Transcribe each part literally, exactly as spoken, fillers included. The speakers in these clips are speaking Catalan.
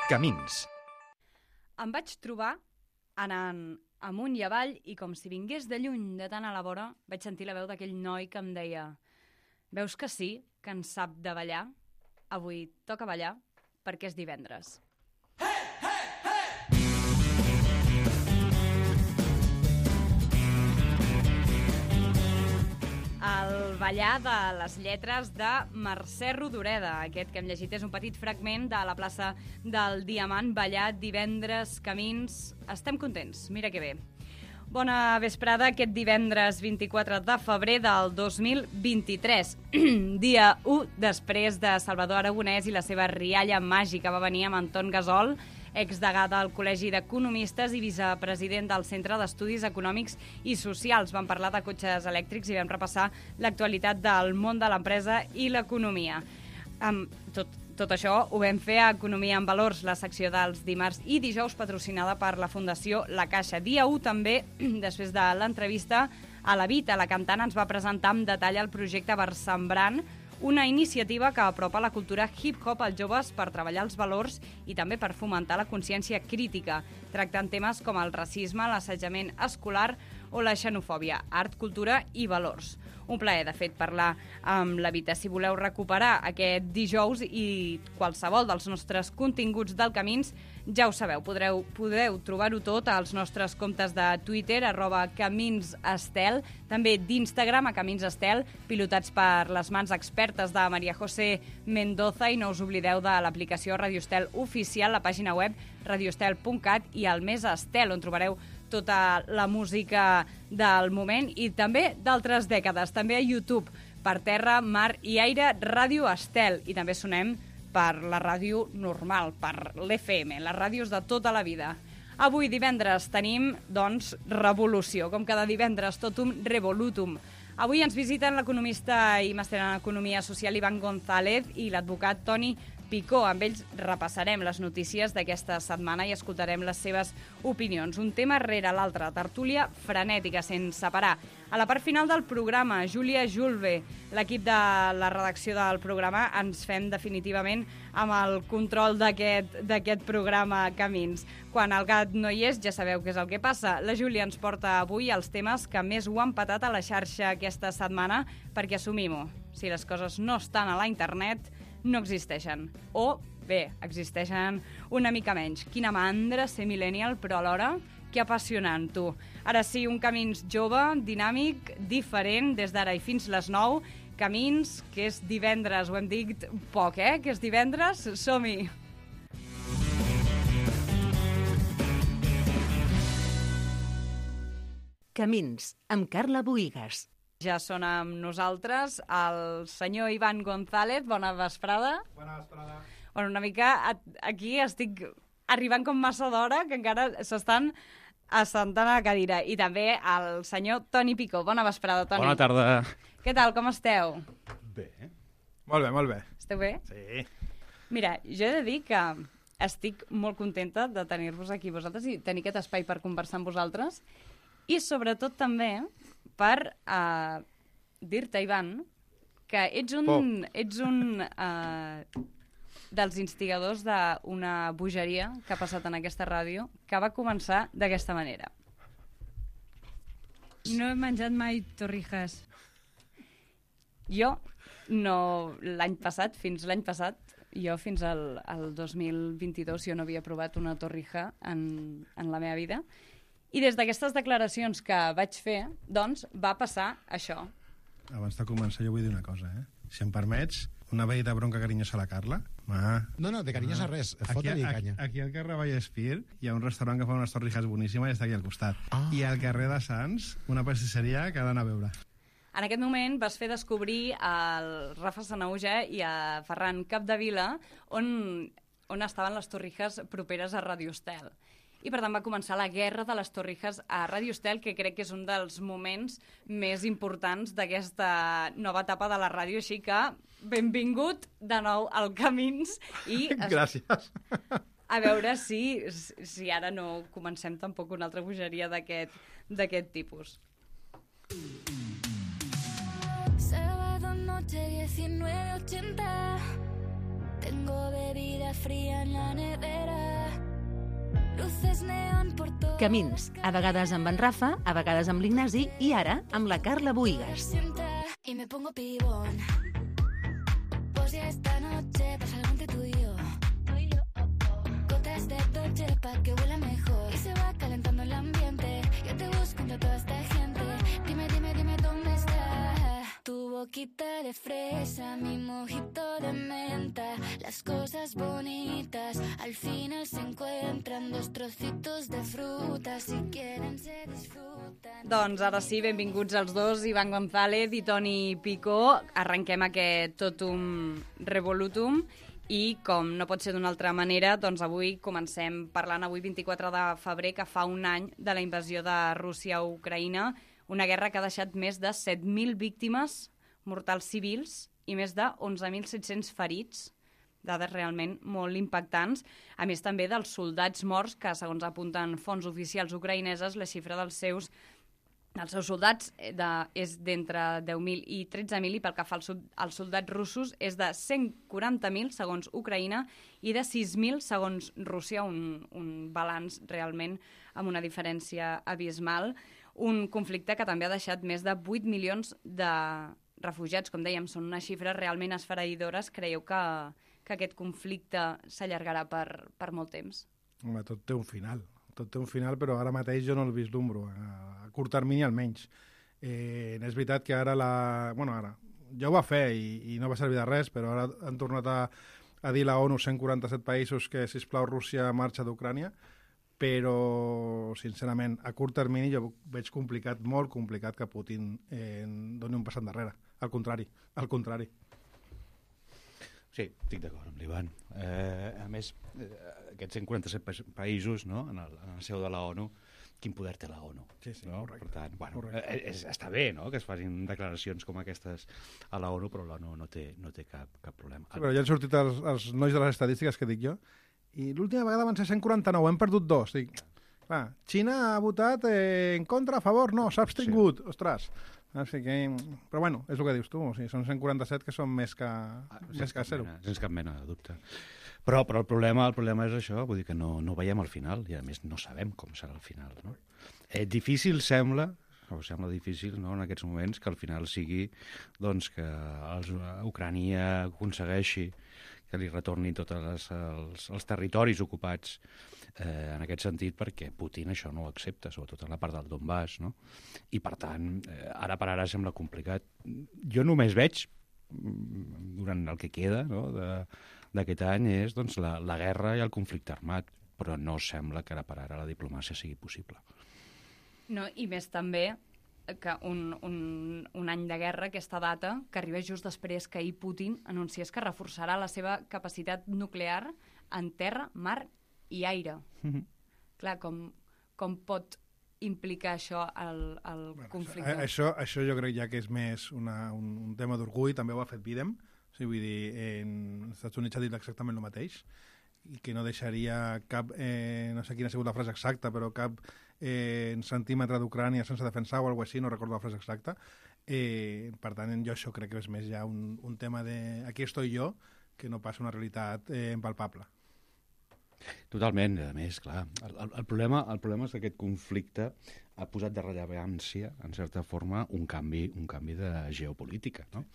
Camins. Em vaig trobar anant amunt i avall i com si vingués de lluny de tant a la vora vaig sentir la veu d'aquell noi que em deia: veus que sí, que en sap de ballar? Avui toca ballar perquè és divendres. El ballar de les lletres de Mercè Rodoreda. Aquest que hem llegit és un petit fragment de la plaça del Diamant, ballat divendres, Camins. Estem contents, mira que bé. Bona vesprada aquest divendres vint-i-quatre de febrer del dos mil vint-i-tres. Dia u després de Salvador Aragonès i la seva rialla màgica. Va venir amb Anton Gasol, exdegà del Col·legi d'Economistes i vicepresident del Centre d'Estudis Econòmics i Socials. Vam parlar de cotxes elèctrics i vam repassar l'actualitat del món de l'empresa i l'economia. Um, tot, tot això ho vam fer a Economia en Valors, la secció dels dimarts i dijous, patrocinada per la Fundació La Caixa. Dia u també, després de l'entrevista a la Vita, la cantant ens va presentar amb detall el projecte Versembrant, una iniciativa que apropa la cultura hip-hop als joves per treballar els valors i també per fomentar la consciència crítica, tractant temes com el racisme, l'assetjament escolar o la xenofòbia, art, cultura i valors. Un plaer, de fet, parlar amb la Vita. Si voleu recuperar aquest dijous i qualsevol dels nostres continguts del Camins, ja ho sabeu, podreu, podeu trobar-ho tot als nostres comptes de Twitter, arroba caminsestel, també d'Instagram, a caminsestel, pilotats per les mans expertes de Maria José Mendoza, i no us oblideu de l'aplicació Radio Estel oficial, la pàgina web radiostel punt cat i el Més Estel, on trobareu tota la música del moment i també d'altres dècades. També a YouTube, per terra, mar i aire, Ràdio Estel. I també sonem per la ràdio normal, per l'F M, les ràdios de tota la vida. Avui, divendres, tenim, doncs, revolució. Com cada divendres, totum revolutum. Avui ens visiten l'economista i màster en Economia Social Ivan González i l'advocat Toni Picó. Amb ells repassarem les notícies d'aquesta setmana i escoltarem les seves opinions. Un tema rere l'altre, tertúlia frenètica, sense parar. A la part final del programa, Júlia Julve, l'equip de la redacció del programa, ens fem definitivament amb el control d'aquest d'aquest programa Camins. Quan el gat no hi és, ja sabeu què és el que passa. La Júlia ens porta avui els temes que més ho han patat a la xarxa aquesta setmana, perquè assumim-ho, si les coses no estan a la internet, no existeixen. O, bé, existeixen una mica menys. Quina mandra ser millennial, però alhora, que apassionant, tu. Ara sí, un Camins jove, dinàmic, diferent, des d'ara i fins les nou. Camins, que és divendres, ho hem dit poc, eh? Que és divendres, som-hi! Camins, amb Carla Boïgues. Ja són amb nosaltres el senyor Ivan González. Bona vesprada. Bona vesprada. Bueno, una mica aquí estic arribant com massa d'hora, que encara s'estan assentant a la cadira. I també el senyor Toni Picó. Bona vesprada, Toni. Bona tarda. Què tal, com esteu? Bé. Molt bé, molt bé. Esteu bé? Sí. Mira, jo he de dir que estic molt contenta de tenir-vos aquí vosaltres i tenir aquest espai per conversar amb vosaltres. I sobretot també per uh, dir-te, Ivan, que ets un, ets un uh, dels instigadors d'una bogeria que ha passat en aquesta ràdio, que va començar d'aquesta manera. No he menjat mai torrijas. Jo, no, l'any passat, fins l'any passat, jo fins al, al dos mil vint-i-dos jo no havia provat una torrija en, en la meva vida. I des d'aquestes declaracions que vaig fer, doncs, va passar això. Abans de començar jo vull dir una cosa, eh? Si em permets, una veïda bronca carinyosa a la Carla. Ma. No, no, de carinyosa Ah. res, Aquí, fota-li aquí, canya. aquí al carrer Vallespir hi ha un restaurant que fa unes torrijas boníssimes i està aquí al costat. Ah. I al carrer de Sants, una pastisseria que ha d'anar a veure. En aquest moment vas fer descobrir al Rafa Sanauja i a Ferran Capdevila on, on estaven les torrijas properes a Radio Estel. I per tant va començar la guerra de les torrijas a Radio Estel, que crec que és un dels moments més importants d'aquesta nova etapa de la ràdio, així que benvingut de nou al Camins. I Gràcies. a veure si, si ara no comencem tampoc una altra bogeria d'aquest d'aquest tipus. Sábado noche diecinueve ochenta. Tengo Tengo bebida fría en la nevera. Luces neón por todo. Camins, a vegades amb en Rafa, a vegades amb l'Ignasi i ara amb la Carla Buïgas. Y me pongo pibón. Pues ya esta noche pasa algo entre tú y yo. Gotas de Dolce pa' que huela mejor. Y se va calentando el ambiente. Yo te busco entre toda esta gente. Dime, dime, dime dónde está. Tu boquita de fresa, mi mojito de menta. Las cosas bonitas al final se encuentran. Dos trocitos de fruta, si quieren se disfrutan. Doncs ara sí, benvinguts els dos, Ivan González i Toni Picó. Arrenquem aquest Totum Revolutum i, com no pot ser d'una altra manera, doncs avui comencem parlant, avui vint-i-quatre de febrer, que fa un any de la invasió de Rússia a Ucraïna, una guerra que ha deixat més de set mil víctimes mortals civils i més de onze mil set-cents ferits, dades realment molt impactants, a més també dels soldats morts, que segons apunten fonts oficials ucraïneses, la xifra dels seus Els seus soldats de, és d'entre deu mil i tretze mil i pel que fa als, als soldats russos és de cent quaranta mil segons Ucraïna i de sis mil segons Rússia, un, un balanç realment amb una diferència abismal. Un conflicte que també ha deixat més de vuit milions de refugiats, com dèiem, són unes xifres realment esfereïdores. Creieu que, que aquest conflicte s'allargarà per, per molt temps? Home, tot té un final. Tot té un final, però ara mateix jo no el vislumbro, a, a curt termini almenys. Eh, és veritat que ara la... Bueno, ara, ja ho va fer i, i no va servir de res, però ara han tornat a, a dir la ONU, cent quaranta-set països, que, sisplau, Rússia marxa d'Ucrània, però, sincerament, a curt termini jo veig complicat, molt complicat, que Putin eh, doni un pas endarrere. Al contrari, al contrari. Sí, estic d'acord amb l'Ivan. Eh, a més, eh, aquests cent quaranta-set pa països, no?, en el, en el seu de la ONU, quin poder té la ONU? Sí, sí, no? Per tant, bueno, eh, és, està bé, no?, que es facin declaracions com aquestes a la ONU, però l'ONU no té, no té cap, cap problema. Sí, però ja han sortit els, els nois de les estadístiques que dic jo, i l'última vegada van ser cent quaranta-nou, hem perdut dos. Dic, clar, Xina ha votat eh, en contra, a favor, no, s'ha abstingut, sí. Ostres. Així que, però bueno, és el que dius tu, o sigui, són cent quaranta-set que són més que, ah, més que zero. Mena, sense cap mena de dubte. Però, però el, problema, el problema és això, vull dir que no, no veiem el final, i a més no sabem com serà el final. No? Eh, difícil sembla, o sembla difícil no, en aquests moments, que al final sigui doncs, que els, Ucrània aconsegueixi que li retornin tots els, els, els territoris ocupats eh, en aquest sentit, perquè Putin això no ho accepta, sobretot en la part del Donbass, no? I per tant, eh, ara per ara sembla complicat. Jo només veig, durant el que queda no, d'aquest any, és doncs, la, la guerra i el conflicte armat, però no sembla que ara per ara la diplomàcia sigui possible. No, i més també que un, un, un any de guerra, aquesta data, que arriba just després que ahir Putin anunciés que reforçarà la seva capacitat nuclear en terra, mar i aire. Mm-hmm. Clar, com, com pot implicar això el, el bueno, conflicte? Això, això jo crec ja que és més una, un, un tema d'orgull, també ho ha fet Biden, o sigui, vull dir, en els Estats Units ha dit exactament el mateix, i que no deixaria cap, eh, no sé quina ha sigut la frase exacta, però cap eh, centímetre d'Ucrània sense defensar o alguna cosa així, no recordo la frase exacta. Eh, per tant, jo això crec que és més ja un, un tema de aquí estoy jo, que no passa una realitat eh, impalpable. Totalment, a més, clar. El, el, el, problema, el problema és que aquest conflicte ha posat de rellevància, en certa forma, un canvi, un canvi de geopolítica, no?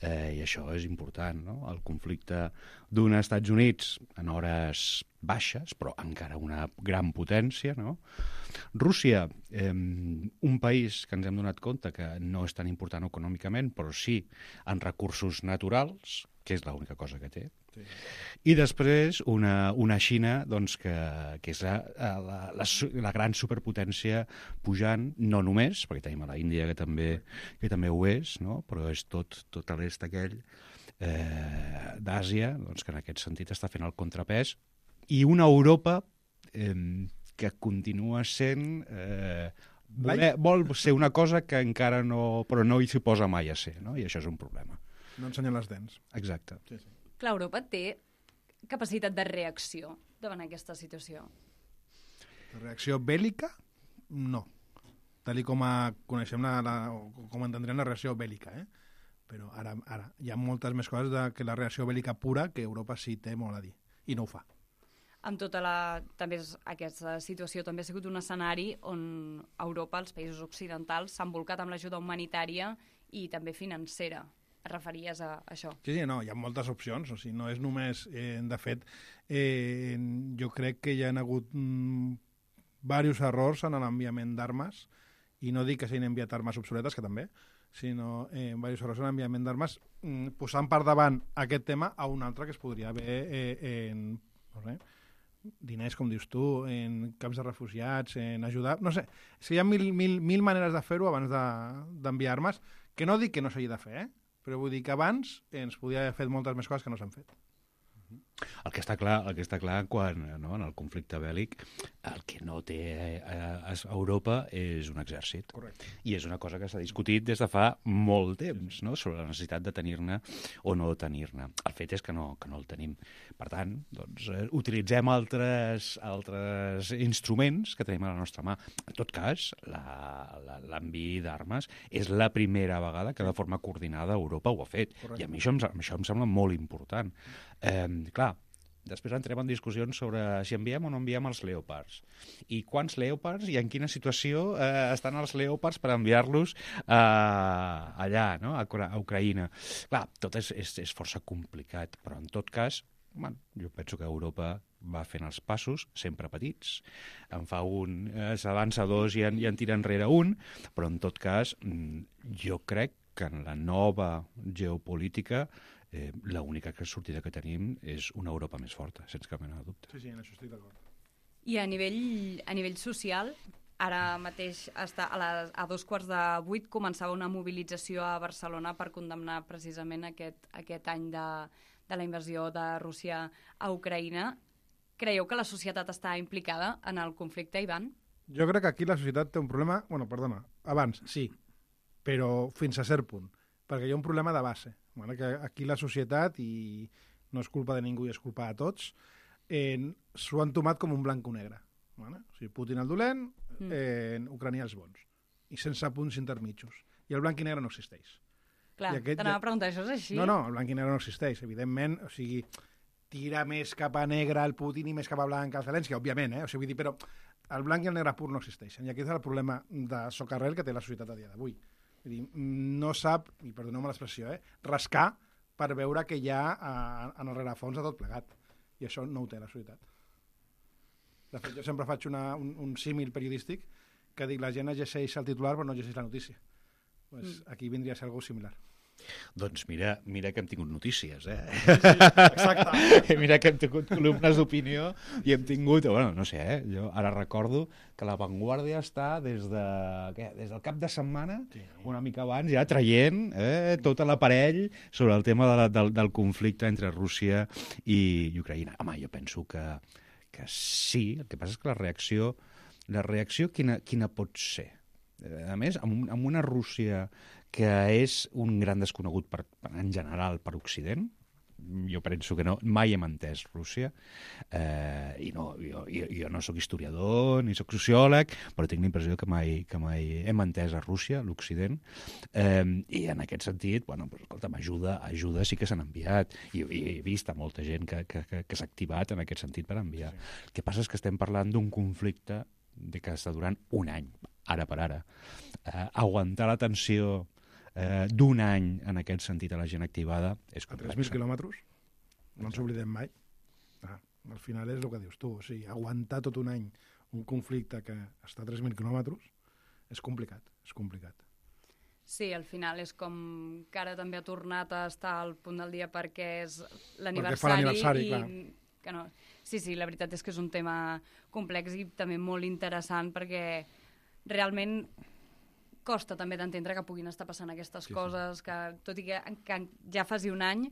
Eh, I això és important, no? El conflicte d'un Estats Units en hores baixes, però encara una gran potència, no? Rússia, eh, un país que ens hem donat compte que no és tan important econòmicament, però sí en recursos naturals, que és l'única cosa que té. Sí. I després una, una Xina doncs, que, que és la, la, la, la gran superpotència pujant, no només, perquè tenim a la Índia que també, que també ho és, no? Però és tot, tot l'est aquell eh, d'Àsia doncs, que en aquest sentit està fent el contrapès, i una Europa eh, que continua sent... Eh, voler, vol ser una cosa que encara no... però no hi s'hi posa mai a ser, no? I això és un problema. No ensenyen les dents. Exacte. Sí, sí. Clar, Europa té capacitat de reacció davant aquesta situació. Reacció bèl·lica? No. Tal com a coneixem la, la, com entendrem la reacció bèl·lica, eh? Però ara, ara hi ha moltes més coses de, que la reacció bèl·lica pura que Europa sí té molt a dir, i no ho fa. Amb tota la... També és, aquesta situació també ha sigut un escenari on Europa, els països occidentals, s'han volcat amb l'ajuda humanitària i també financera. Et referies a això? Sí, sí, no, hi ha moltes opcions, o sigui, no és només... Eh, de fet, eh, jo crec que hi ha hagut mm, diversos errors en l'enviament d'armes, i no dic que s'hagin enviat armes obsoletes, que també, sinó eh, diversos errors en l'enviament d'armes, mm, posant per davant aquest tema a un altre que es podria haver eh, en... No sé, diners, com dius tu, en camps de refugiats, en ajudar... No sé, és que hi ha mil, mil, mil maneres de fer-ho abans d'enviar de, armes, que no dic que no s'hagi de fer, eh? Però vull dir que abans ens podia haver fet moltes més coses que no s'han fet. El que està clar, el que està clar quan, no, en el conflicte bèl·lic, el que no té a, a Europa és un exèrcit. Correcte. I és una cosa que s'ha discutit des de fa molt temps, no?, sobre la necessitat de tenir-ne o no tenir-ne. El fet és que no, que no el tenim. Per tant, doncs, eh, utilitzem altres, altres instruments que tenim a la nostra mà. En tot cas, l'envi d'armes és la primera vegada que de forma coordinada Europa ho ha fet. Correcte. I a mi això em, això em sembla molt important. Eh, clar, després entrem en discussions sobre si enviem o no enviem els Leopards. I quants Leopards i en quina situació eh, estan els Leopards per enviar-los eh, allà, no?, a, a Ucraïna. Clar, tot és, és, és força complicat, però en tot cas, bueno, jo penso que Europa va fent els passos, sempre petits. En fa un, eh, s'avança dos i en, i en tira enrere un, però en tot cas, jo crec que en la nova geopolítica Eh, l'única sortida que tenim és una Europa més forta, sense cap mena de dubte. Sí, sí, en això estic d'acord. I a nivell, a nivell social, ara mateix està a, les, a dos quarts de vuit començava una mobilització a Barcelona per condemnar precisament aquest, aquest any de, de la invasió de Rússia a Ucraïna. Creieu que la societat està implicada en el conflicte, Ivan? Jo crec que aquí la societat té un problema... Bueno, perdona, abans, sí, però fins a cert punt, perquè hi ha un problema de base. Bueno, que aquí la societat, i no és culpa de ningú i és culpa de tots, eh, s'ho han tomat com un blanc o negre. Bueno, o sigui, Putin el dolent, eh, Ucrània els bons, i sense punts intermitjos. I el blanc i negre no existeix. Clar, t'anava a preguntar, això és així? No, no, el blanc i negre no existeix, evidentment, o sigui, tira més cap a negre el Putin i més cap a blanc el Zelensky, òbviament, eh? O sigui, vull dir, però el blanc i el negre pur no existeixen, i aquest és el problema de socarrel que té la societat a dia d'avui. Vull dir, no sap, i perdoneu-me l'expressió, eh, rascar per veure què hi ha a, en el rerefons de tot plegat. I això no ho té la societat. De fet, jo sempre faig una, un, un símil periodístic que dic, la gent llegeix el titular però no llegeix la notícia. Pues mm. Aquí vindria a ser algo similar. Doncs mira, mira que hem tingut notícies, eh? Sí, sí, exacte. Mira que hem tingut columnes d'opinió i hem tingut, bueno, no sé, eh? Jo ara recordo que La Vanguardia està des, de, què? des del cap de setmana, sí. una mica abans, ja traient eh, tot l'aparell sobre el tema de la, del, del conflicte entre Rússia i, i Ucraïna. Home, jo penso que, que sí, el que passa és que la reacció, la reacció quina, quina pot ser? A més, amb, amb una Rússia que és un gran desconegut per, en general per Occident. Jo penso que no, mai hem entès Rússia, eh, i no, jo, jo, jo no sóc historiador ni sóc sociòleg, però tinc la impressió que mai, que mai hem entès a Rússia, l'Occident, eh, i en aquest sentit, bueno, pues, escolta'm, ajuda, ajuda sí que s'han enviat, i, i he vist a molta gent que, que, que, que s'ha activat en aquest sentit per enviar. Sí. El que passa és que estem parlant d'un conflicte de que està durant un any, ara per ara. Eh, aguantar la tensió Eh, d'un any en aquest sentit a la gent activada és complex. A tres mil quilòmetres? No ens oblidem mai. Ah, al final és el que dius tu. O sigui, aguantar tot un any un conflicte que està a tres mil quilòmetres és complicat, és complicat. Sí, al final és com que ara també ha tornat a estar al punt del dia perquè és l'aniversari. I... Que no. Sí, sí, la veritat és que és un tema complex i també molt interessant perquè realment costa també d'entendre que puguin estar passant aquestes sí, coses, sí. que tot i que, que ja faci un any,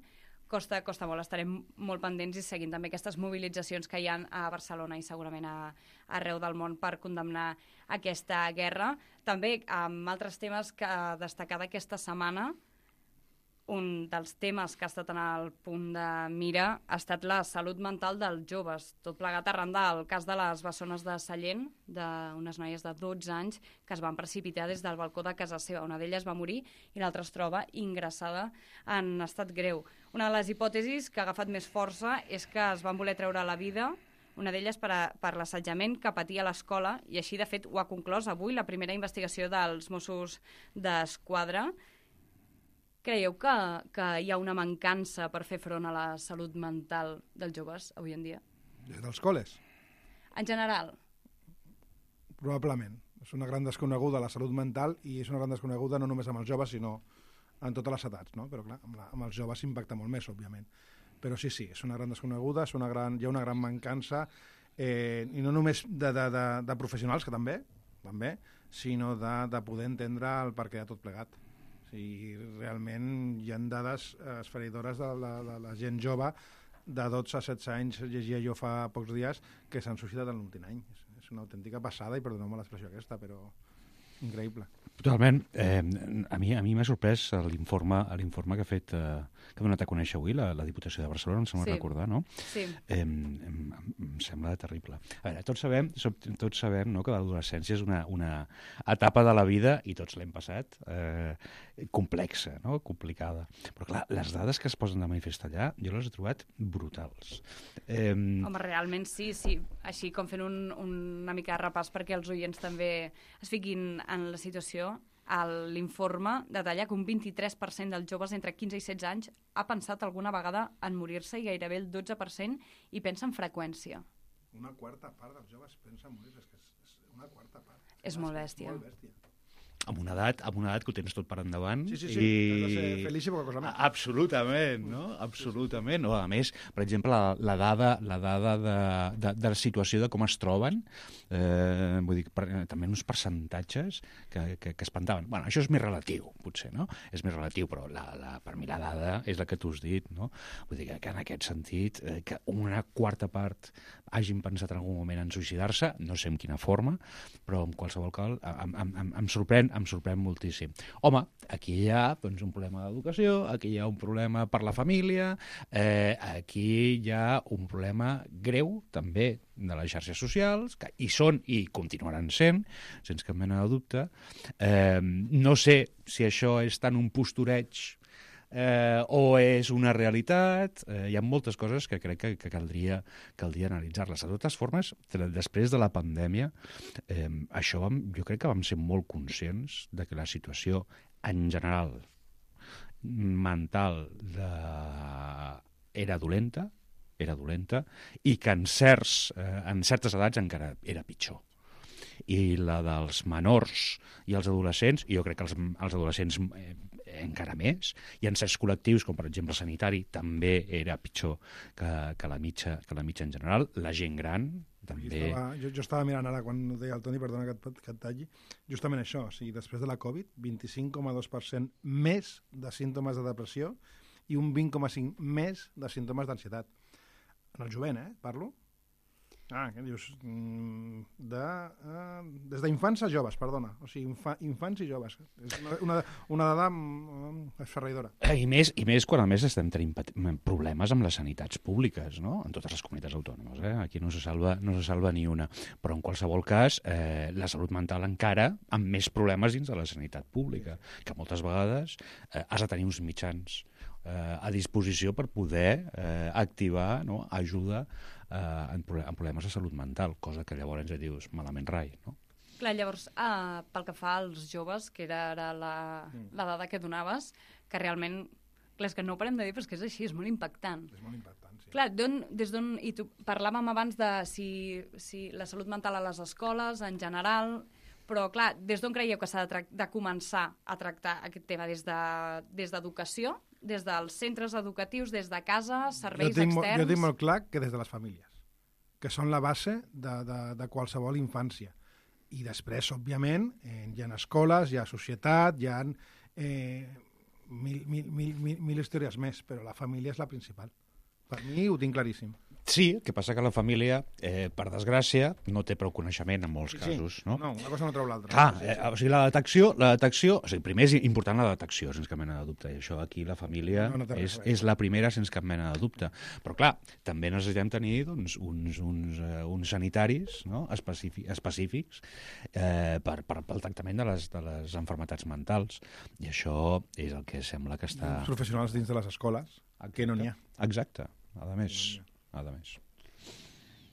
costa, costa molt. Estarem molt pendents i seguint també aquestes mobilitzacions que hi ha a Barcelona i segurament a, arreu del món per condemnar aquesta guerra. També amb altres temes que destacar d'aquesta setmana, un dels temes que ha estat en el punt de mira ha estat la salut mental dels joves. Tot plegat arran del cas de les bessones de Sallent, d'unes noies de dotze anys que es van precipitar des del balcó de casa seva. Una d'elles va morir i l'altra es troba ingressada en estat greu. Una de les hipòtesis que ha agafat més força és que es van voler treure la vida, una d'elles per, a, per l'assetjament que patia a l'escola, i així, de fet, ho ha conclòs avui la primera investigació dels Mossos d'Esquadra. Creieu que, que hi ha una mancança per fer front a la salut mental dels joves avui en dia? Des dels col·les? En general? Probablement. És una gran desconeguda la salut mental i és una gran desconeguda no només amb els joves, sinó en totes les edats, no? Però clar, amb, la, amb els joves s'impacta molt més, òbviament. Però sí, sí, és una gran desconeguda, és una gran, hi ha una gran mancança, eh, i no només de, de, de, de professionals, que també, també sinó de, de poder entendre el perquè de tot plegat. I realment hi ha dades esfereïdores de la, de la gent jove de dotze a setze anys, llegia jo fa pocs dies, que s'han suïcidat en l'últim any. És, és una autèntica passada, i perdoneu-me l'expressió aquesta, però increïble. Totalment. Eh, a mi a mi m'ha sorprès l'informe l'informe que ha fet, eh, que ha donat a conèixer avui la, la Diputació de Barcelona, em sembla sí. recordar, no? Sí. Eh, em, em sembla terrible. A veure, tots sabem, tots sabem no, que l'adolescència és una, una etapa de la vida, i tots l'hem passat, eh, complexa, no? Complicada. Però clar, les dades que es posen de manifest allà, jo les he trobat brutals. Eh, Home, realment sí, sí. Així com fent un, una mica de repàs perquè els oients també es fiquin en la situació, l'informe detalla que un vint-i-tres per cent dels joves entre quinze i setze anys ha pensat alguna vegada en morir-se, i gairebé el dotze per cent hi pensa en freqüència. Una quarta part dels joves pensa en morir-se, és que és, és una quarta part. És molt bèstia. Molt bèstia. amb una edat, amb una edat que ho tens tot per endavant. Sí, sí, sí, i... has de ser feliç i poca cosa més. Absolutament, no? Absolutament. No, a més, per exemple, la, la dada, la dada de, de, de la situació de com es troben, eh, vull dir, per, també uns percentatges que, que, que espantaven. Bueno, això és més relatiu, potser, no? És més relatiu, però la, la, per mi la dada és la que tu has dit, no? Vull dir que, que en aquest sentit, eh, que una quarta part hagin pensat en algun moment en suïcidar-se, no sé en quina forma, però en qualsevol cas em, em, em, em sorprèn em sorprèn moltíssim. Home, aquí hi ha doncs, un problema d'educació, aquí hi ha un problema per la família, eh, aquí hi ha un problema greu, també, de les xarxes socials, que hi són i continuaran sent, sense cap mena de dubte. Eh, no sé si això és tant un postureig Eh, o és una realitat. Eh, hi ha moltes coses que crec que, que caldria, caldria analitzar-les. De totes formes, després de la pandèmia, eh, això vam, jo crec que vam ser molt conscients de que la situació en general mental de... era dolenta, era dolenta, i que en, certs, eh, en certes edats encara era pitjor. I la dels menors i els adolescents, i jo crec que els, els adolescents eh, encara més, i en certs col·lectius, com per exemple sanitari, també era pitjor que, que, la mitja, que la mitja en general. La gent gran també... Estava, jo, jo estava mirant ara, quan ho deia el Toni, perdona que et, que et talli, justament això, o sigui, després de la Covid, vint-i-cinc coma dos per cent més de símptomes de depressió i un vint coma cinc per cent més de símptomes d'ansietat. En el jovent, eh, parlo? Ah, què dius? De, uh, des d'infants a joves, perdona. O sigui, infa, infants i joves. És una, una, una dada um, esferraïdora. I més, I més quan a més estem tenint problemes amb les sanitats públiques, no? En totes les comunitats autònomes, eh? Aquí no se salva, no se salva ni una. Però en qualsevol cas, eh, la salut mental encara amb més problemes dins de la sanitat pública, que moltes vegades eh, has de tenir uns mitjans eh, a disposició per poder eh, activar, no? Ajuda Uh, en, en problemes de salut mental, cosa que llavors ja dius malament rai, no? Clar, llavors, uh, pel que fa als joves, que era ara la, mm. la dada que donaves, que realment, clar, és que no ho parem de dir, però és que és així, és molt impactant. És molt impactant, sí. Clar, des d'on... I tu, parlàvem abans de si, si la salut mental a les escoles, en general, però, clar, des d'on creieu que s'ha de, de començar a tractar aquest tema? Des d'educació? De, des dels centres educatius, des de casa, serveis jo tinc, externs... Jo tinc molt clar que des de les famílies, que són la base de, de, de qualsevol infància. I després, òbviament, eh, hi ha escoles, hi ha societat, hi ha eh, mil, mil, mil, mil, mil històries més, però la família és la principal. Per mi ho tinc claríssim. Sí, el que passa que la família, eh, per desgràcia, no té prou coneixement en molts Sí, casos, no? No, una cosa no treu l'altra. Clar, Sí, eh, sí. o sigui, la detecció, la detecció, o sigui, primer és important la detecció, sense cap mena de dubte, i això aquí la família No, no té res és, a veure. és la primera sense cap mena de dubte. Però clar, també necessitem tenir doncs, uns, uns, uh, uns sanitaris, no? específic, específics eh, per, per, pel tractament de les, de les enfermetats mentals, i això és el que sembla que està... Els professionals dins de les escoles, que no n'hi ha. Exacte, a més, a més.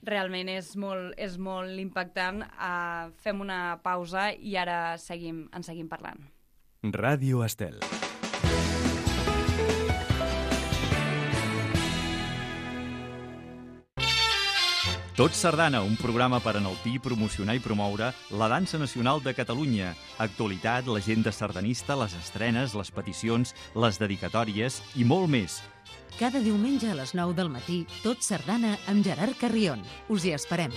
Realment és molt, és molt impactant. Uh, fem una pausa i ara seguim, en seguim parlant. Ràdio Estel. Tot Sardana, un programa per enaltir, promocionar i promoure la dansa nacional de Catalunya. Actualitat, l'agenda sardanista, les estrenes, les peticions, les dedicatòries i molt més. Cada diumenge a les nou del matí, Tot Sardana amb Gerard Carrion. Us hi esperem.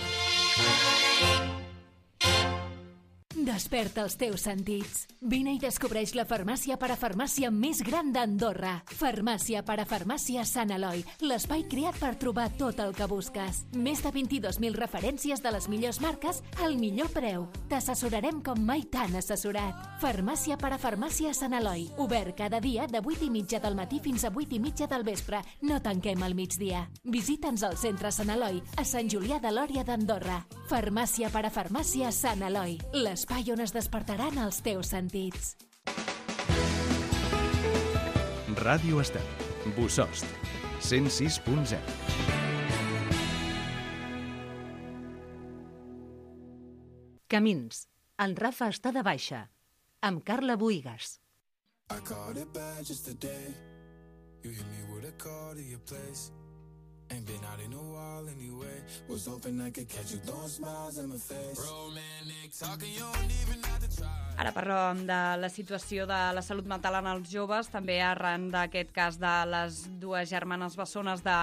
Desperta els teus sentits. Vine i descobreix la farmàcia parafarmàcia més gran d'Andorra. Farmàcia parafarmàcia Sant Eloi, l'espai creat per trobar tot el que busques. Més de vint-i-dos mil referències de les millors marques al millor preu. T'assessorarem com mai t'han assessorat. Farmàcia parafarmàcia Sant Eloi, obert cada dia de vuit i mitja del matí fins a vuit i mitja del vespre. No tanquem al migdia. Visita'ns al centre Sant Eloi, a Sant Julià de Lòria d'Andorra. Farmàcia parafarmàcia Sant Eloi, l'espai on es despertaran els teus sentits. Ràdio Estel. Bosost. cent sis punt zero. Camins. En Rafa està de baixa. Amb Carla Buigas. I caught it bad just today. You hit me with a call to your place. Ain't been out in a while anyway. Was hoping I could catch you throwing smiles in my face. Romantic talking, you don't even have to try. Ara parlem de la situació de la salut mental en els joves, també arran d'aquest cas de les dues germanes bessones de,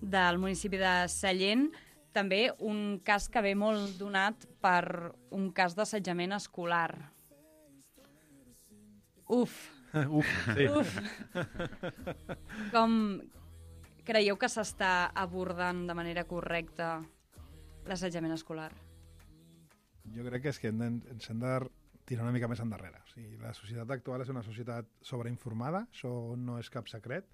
del municipi de Sallent. També un cas que ve molt donat per un cas d'assetjament escolar. Uf! Uf, sí. Uf! Com creieu que s'està abordant de manera correcta l'assetjament escolar? Jo crec que és que hem de, ens hem de tirar una mica més endarrere. O sigui, la societat actual és una societat sobreinformada, això no és cap secret,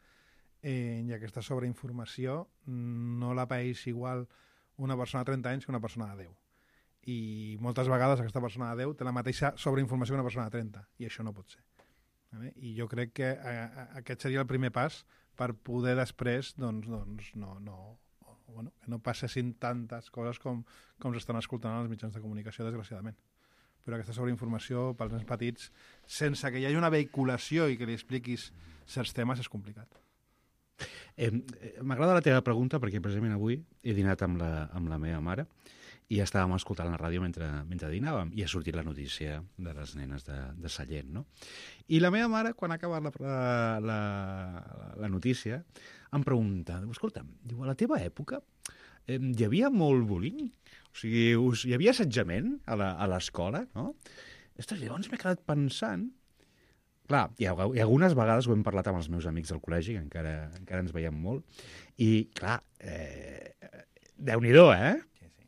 eh, i aquesta sobreinformació no la paeix igual una persona de trenta anys que una persona de deu. I moltes vegades aquesta persona de deu té la mateixa sobreinformació que una persona de trenta, i això no pot ser. I jo crec que eh, aquest seria el primer pas per poder després doncs, doncs, no, no, bueno, que no passessin tantes coses com, com s'estan escoltant als mitjans de comunicació, desgraciadament. Però aquesta sobreinformació pels nens petits, sense que hi hagi una vehiculació i que li expliquis certs temes, és complicat. Eh, M'agrada la teva pregunta perquè precisament avui he dinat amb la, amb la meva mare i estàvem escoltant la ràdio mentre, mentre dinàvem i ha sortit la notícia de les nenes de, de Sallent, no? I la meva mare, quan ha acabat la, la, la, la notícia, em pregunta, escolta'm, diu, a la teva època eh, hi havia molt bullying? O sigui, us, hi havia assetjament a l'escola, no? Ostres, llavors m'he quedat pensant. Clar, hi ha, hi ha algunes vegades ho hem parlat amb els meus amics del col·legi, que encara, encara ens veiem molt, i clar, eh, Déu-n'hi-do, eh?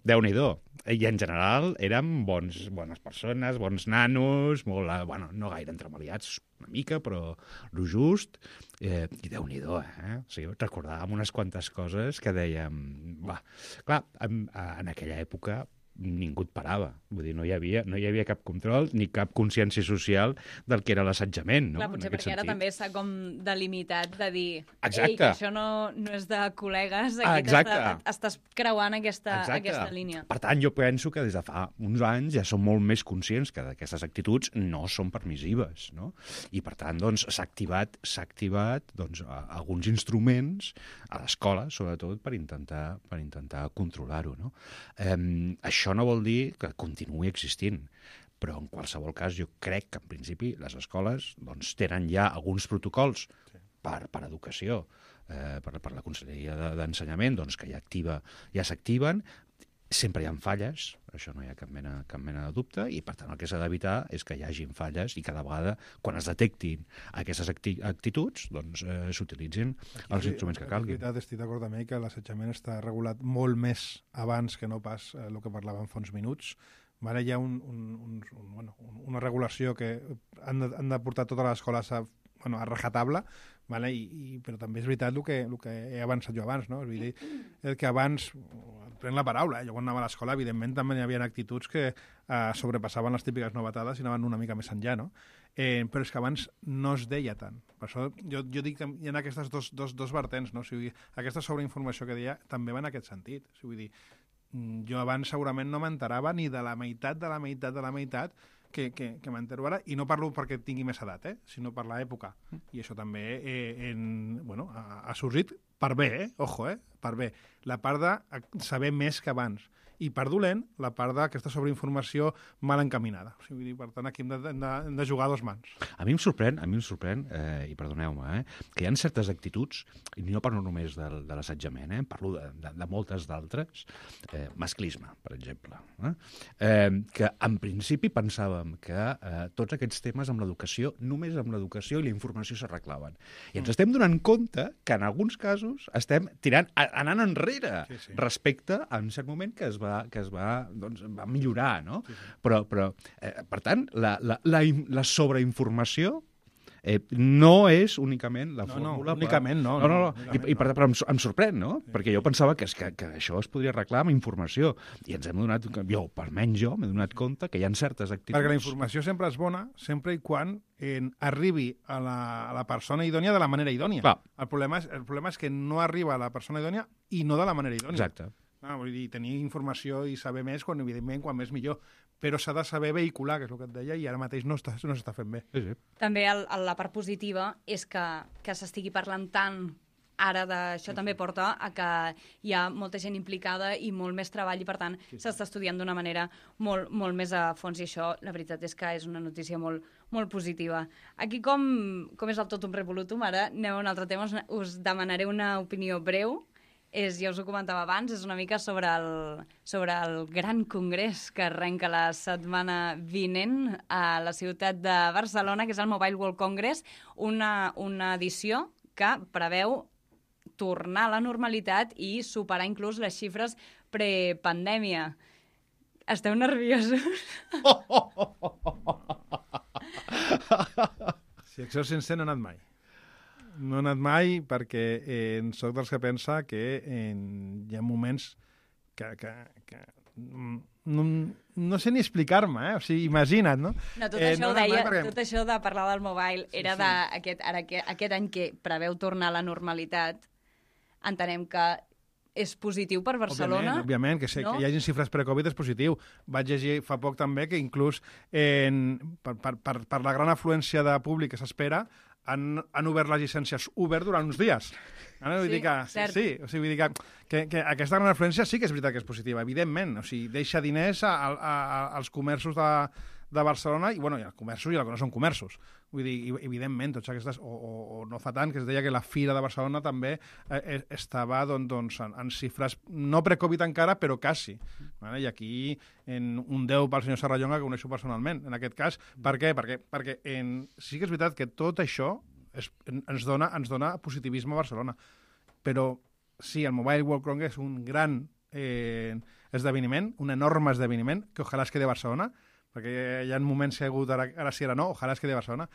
Déu-n'hi-do. I en general érem bons, bones persones, bons nanos, molt, bueno, no gaire entremaliats, una mica, però lo just. Eh, I Déu-n'hi-do, eh? O sigui, recordàvem unes quantes coses que dèiem... Va. Clar, en, en aquella època ningú et parava. Vull dir, no hi havia, no hi havia cap control ni cap consciència social del que era l'assetjament, no? Clar, potser perquè sentit. Ara també s'ha com delimitat de dir Exacte. Ei, que això no, no és de col·legues, aquí Exacte. estàs creuant aquesta, aquesta línia. Per tant, jo penso que des de fa uns anys ja som molt més conscients que aquestes actituds no són permissives, no? I per tant, doncs, s'ha activat, s'ha activat doncs, alguns instruments a l'escola, sobretot, per intentar, per intentar controlar-ho, no? Eh, això Això no vol dir que continuï existint, però en qualsevol cas jo crec que en principi les escoles doncs, tenen ja alguns protocols sí. per, per educació, eh, per, per la Conselleria d'Ensenyament, doncs, que ja, activa, ja s'activen. sempre hi ha falles, això no hi ha cap mena, cap mena de dubte, i per tant el que s'ha d'evitar és que hi hagin falles i cada vegada, quan es detectin aquestes acti actituds, doncs eh, s'utilitzin els instruments que calguin. En veritat, estic d'acord amb ell que l'assetjament està regulat molt més abans que no pas eh, el que parlàvem fa uns minuts. Ara hi ha un, un, un, un, bueno, una regulació que han de, han de portar totes les escoles a, bueno, a rajatabla, vale? I, i, però també és veritat el que, el que he avançat jo abans, no? És dir, el que abans, prenc la paraula, eh? Jo quan anava a l'escola, evidentment, també hi havia actituds que eh, sobrepassaven les típiques novetades i anaven una mica més enllà, no? Eh, però és que abans no es deia tant. Per això jo, jo dic que hi ha aquestes dos, dos, dos vertents, no? O sigui, aquesta sobreinformació que deia també va en aquest sentit. O sigui, vull dir, jo abans segurament no m'enterava ni de la meitat de la meitat de la meitat que, que, que m'entero ara, i no parlo perquè tingui més edat, eh? Sinó per l'època. I això també eh, en, bueno, ha, ha sorgit per bé, eh? Ojo, eh? Per bé. La part de saber més que abans. I per dolent, la part d'aquesta sobreinformació mal encaminada. O sigui, per tant, aquí hem de, hem de, hem de jugar a dos mans. A mi em sorprèn, a mi em sorprèn, eh, i perdoneu-me, eh, que hi ha certes actituds, i no parlo només de, de l'assetjament, eh, parlo de, de, de moltes d'altres, eh, masclisme, per exemple, eh, eh, que en principi pensàvem que eh, tots aquests temes amb l'educació, només amb l'educació i la informació s'arreglaven. I ens estem donant compte que en alguns casos estem tirant, anant enrere sí, sí. respecte a un cert moment que es va que es va, doncs, va millorar, no? Sí, sí. Però, però eh, per tant, la, la, la, la sobreinformació eh, no és únicament la no, fórmula... No, únicament per... no. no, no, no. Únicament I, i per, però em, em sorprèn, no? Sí. Perquè jo pensava que, que, que això es podria arreglar amb informació. I ens hem donat, jo, almenys jo, m'he donat compte que hi ha certes actituds... Perquè la informació sempre és bona, sempre i quan en, arribi a la, a la persona idònia de la manera idònia. Clar. El problema, és, el problema és que no arriba a la persona idònia i no de la manera idònia. Exacte. Ah, vull dir, tenir informació i saber més, quan, evidentment, quan més millor. Però s'ha de saber vehicular, que és el que et deia, i ara mateix no està, no s'està fent bé. Sí, sí. També el, el, la part positiva és que, que s'estigui parlant tant ara d'això, sí, també porta a que hi ha molta gent implicada i molt més treball i, per tant, sí, sí. s'està estudiant d'una manera molt, molt més a fons, i això, la veritat és que és una notícia molt, molt positiva. Aquí, com, com és el totum revolutum, ara anem a un altre tema, us, us demanaré una opinió breu. És, ja us ho comentava abans, és una mica sobre el, sobre el gran congrés que arrenca la setmana vinent a la ciutat de Barcelona, que és el Mobile World Congress, una, una edició que preveu tornar a la normalitat i superar inclús les xifres prepandèmia. Esteu nerviosos? Si això sencer no he anat mai. No he anat mai perquè eh, soc dels que pensa que eh, hi ha moments que, que, que no, no sé ni explicar-me, eh? O sigui, imagina't, no? No, tot, eh, això no deia, perquè... tot això de parlar del mobile sí, era sí. d'aquest ara, aquest any que preveu tornar a la normalitat. Entenem que és positiu per Barcelona. Òbviament, òbviament que, sé, no? que hi hagi xifres pre-Covid és positiu. Vaig llegir fa poc també que inclús en, per, per, per, per la gran afluència de públic que s'espera, Han, han obert les llicències Uber durant uns dies. No? Vull sí, dir que, cert. sí, o sigui, vull dir que, que, que aquesta gran afluència sí que és veritat que és positiva, evidentment. O sigui, deixa diners a, a, a, als comerços de, de Barcelona, i, bueno, i els comerços i el que no són comerços. Vull dir, evidentment, tots aquestes... O, o, o no fa tant, que es deia que la Fira de Barcelona també eh, estava doncs, doncs, en, en xifres, no pre-Covid encara, però quasi. Vale? I aquí, en un deu pel senyor Serrallonga, que coneixo personalment, en aquest cas. Per què? Perquè, perquè en, sí que és veritat que tot això es, ens, dona, ens dona positivisme a Barcelona. Però sí, el Mobile World Congress és un gran eh, esdeveniment, un enorme esdeveniment, que ojalà es quedi a Barcelona, perquè hi ha moments que hi ha hagut, ara, ara sí, ara no, ojalà es quedi a Barcelona,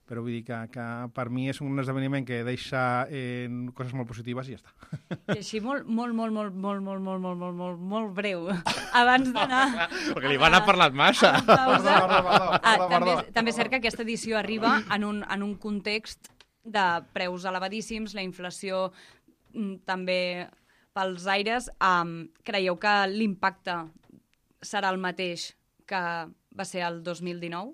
però vull dir que, que per mi és un esdeveniment que deixa eh, coses molt positives i ja està. I així molt, molt, molt, molt, molt, molt, molt, molt, molt, molt, molt breu, abans d'anar... Perquè li van a parlat massa. Perdó, perdó, perdó, ah, perdó. també, també és cert que aquesta edició arriba en un, en un context de preus elevadíssims, la inflació mm, també pels aires. Um, creieu que l'impacte serà el mateix que va ser el dos mil dinou?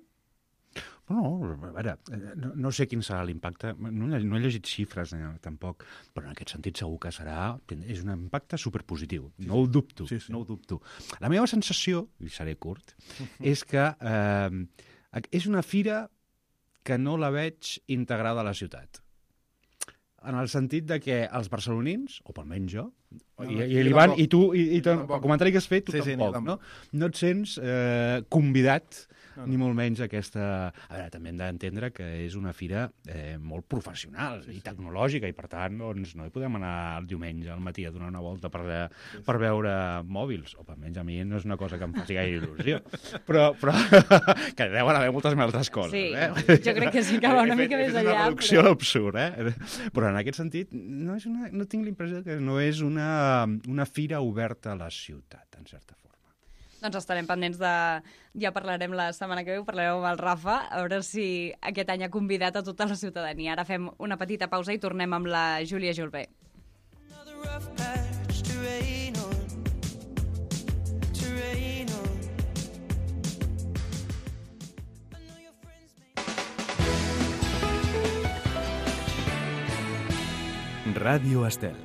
No, a veure, no, no sé quin serà l'impacte, no, no he llegit xifres eh, tampoc, però en aquest sentit segur que serà, és un impacte superpositiu, sí, no ho dubto, sí, sí. no ho dubto. La meva sensació, i seré curt, és que eh, és una fira que no la veig integrada a la ciutat. en el sentit de que els barcelonins, o almenys jo, No, i, no, i jo l'Ivan, tampoc. i tu, i, i Jo el tampoc. comentari que has fet, tu Sí, sí, tampoc, jo no? tampoc. No et sents eh, convidat, No, no, no. ni molt menys, a aquesta... A veure, també hem d'entendre que és una fira eh, molt professional sí, i tecnològica, i per tant, doncs, no hi podem anar el diumenge al matí a donar una volta per, sí, sí. per veure mòbils, o almenys a mi no és una cosa que em faci gaire il·lusió, però, però que deuen haver moltes més altres coses, Sí, eh? jo crec que sí que va una He fet- mica he més fet enllà, una reducció però- a l'absurd, eh? Però en aquest sentit, no, és una, no tinc l'impressió que no és una, una fira oberta a la ciutat, en certa forma. Doncs estarem pendents de... Ja parlarem la setmana que ve, ho parlarem amb el Rafa, a veure si aquest any ha convidat a tota la ciutadania. Ara fem una petita pausa i tornem amb la Júlia Julbé. Ràdio Estel.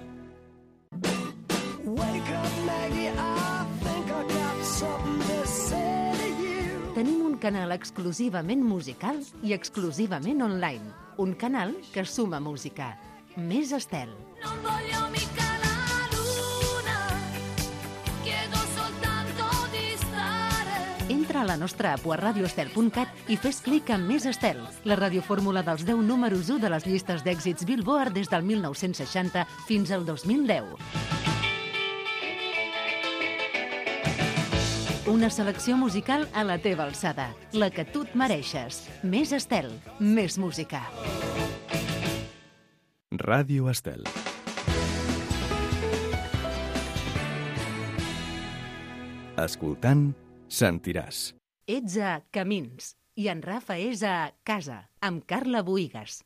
Tenim un canal exclusivament musical i exclusivament online. Un canal que suma música. Més Estel. Non voglio mica la luna, chiedo soltanto di stare. Entra a la nostra app a radioestel punt cat i fes clic en Més Estel, la radiofórmula dels deu números u de les llistes d'èxits Billboard des del mil nou-cents seixanta fins al dos mil deu. Una selecció musical a la teva alçada, la que tu et mereixes. Més Estel, més música. Ràdio Estel. Escoltant, sentiràs. Ets a Camins i en Rafa és a Casa, amb Carla Boïgues.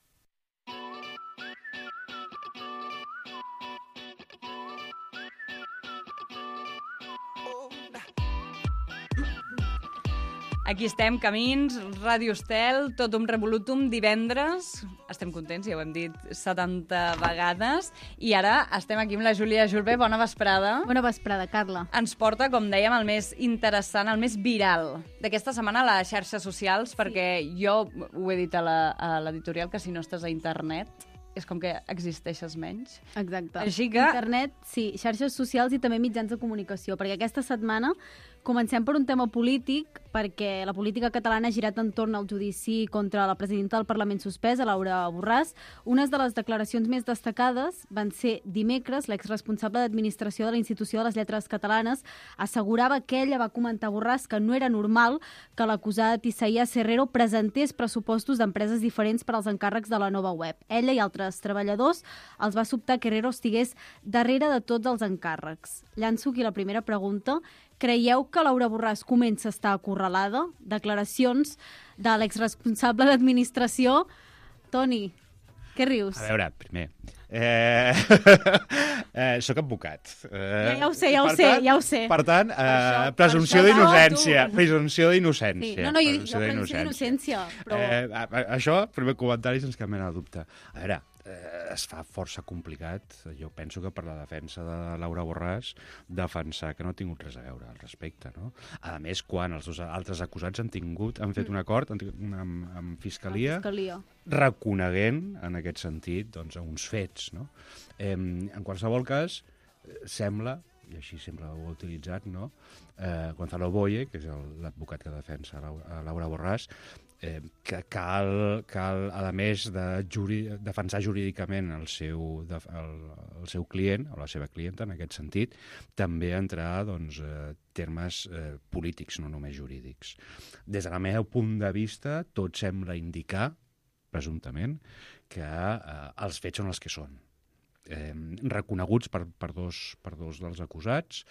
Aquí estem, Camins, Ràdio Estel, tot un revolutum divendres. Estem contents, ja ho hem dit setanta vegades. I ara estem aquí amb la Júlia Julbé. Bona vesprada. Bona vesprada, Carla. Ens porta, com dèiem, el més interessant, el més viral d'aquesta setmana a les xarxes socials, perquè jo ho he dit a la- a l'editorial, que si no estàs a internet és com que existeixes menys. Exacte. Així que- Internet, sí, xarxes socials i també mitjans de comunicació, perquè aquesta setmana comencem per un tema polític, perquè la política catalana ha girat entorn al judici contra la presidenta del Parlament suspès, Laura Borràs. Unes de les declaracions més destacades van ser dimecres. L'exresponsable d'administració de la Institució de les Lletres Catalanes assegurava que ella va comentar a Borràs que no era normal que l'acusat Isaías Herrero presentés pressupostos d'empreses diferents per als encàrrecs de la nova web. Ella i altres treballadors els va sobtar que Herrero estigués darrere de tots els encàrrecs. Llanço aquí la primera pregunta. Creieu que Laura Borràs comença a estar acorralada? Declaracions de l'exresponsable d'administració. Toni, què rius? A veure, primer, eh, eh, soc advocat. Eh, Ja, ja ho sé, ja ho per sé, tant, ja ho sé. Per tant, eh, això- per presumpció això- d'innocència. No, tu- Presumpció d'innocència. Sí. No, no, jo dic presumpció jo presumpció d'innocència, però... Eh, a- a- això, primer comentari, sense cap mena de dubte. A veure, eh, es fa força complicat, jo penso que per la defensa de Laura Borràs, defensar que no ha tingut res a veure al respecte, no? A més, quan els dos altres acusats han tingut, han fet un acord han tingut una, amb, amb Fiscalia, Fiscalia. reconeguent, en aquest sentit, doncs, uns fets, no? Eh, en qualsevol cas, eh, sembla, i així sempre ho ha utilitzat, no? Eh, Gonzalo Boye, que és el- l'advocat que defensa Laura, Laura Borràs, eh, que cal, cal, a més de juri, defensar jurídicament el seu, de, el, el seu client, o la seva clienta, en aquest sentit, també entrar, doncs, eh, termes eh, polítics, no només jurídics. Des del meu punt de vista, tot sembla indicar, presumptament, que eh, els fets són els que són. Eh, reconeguts per, per, dos, per dos dels acusats,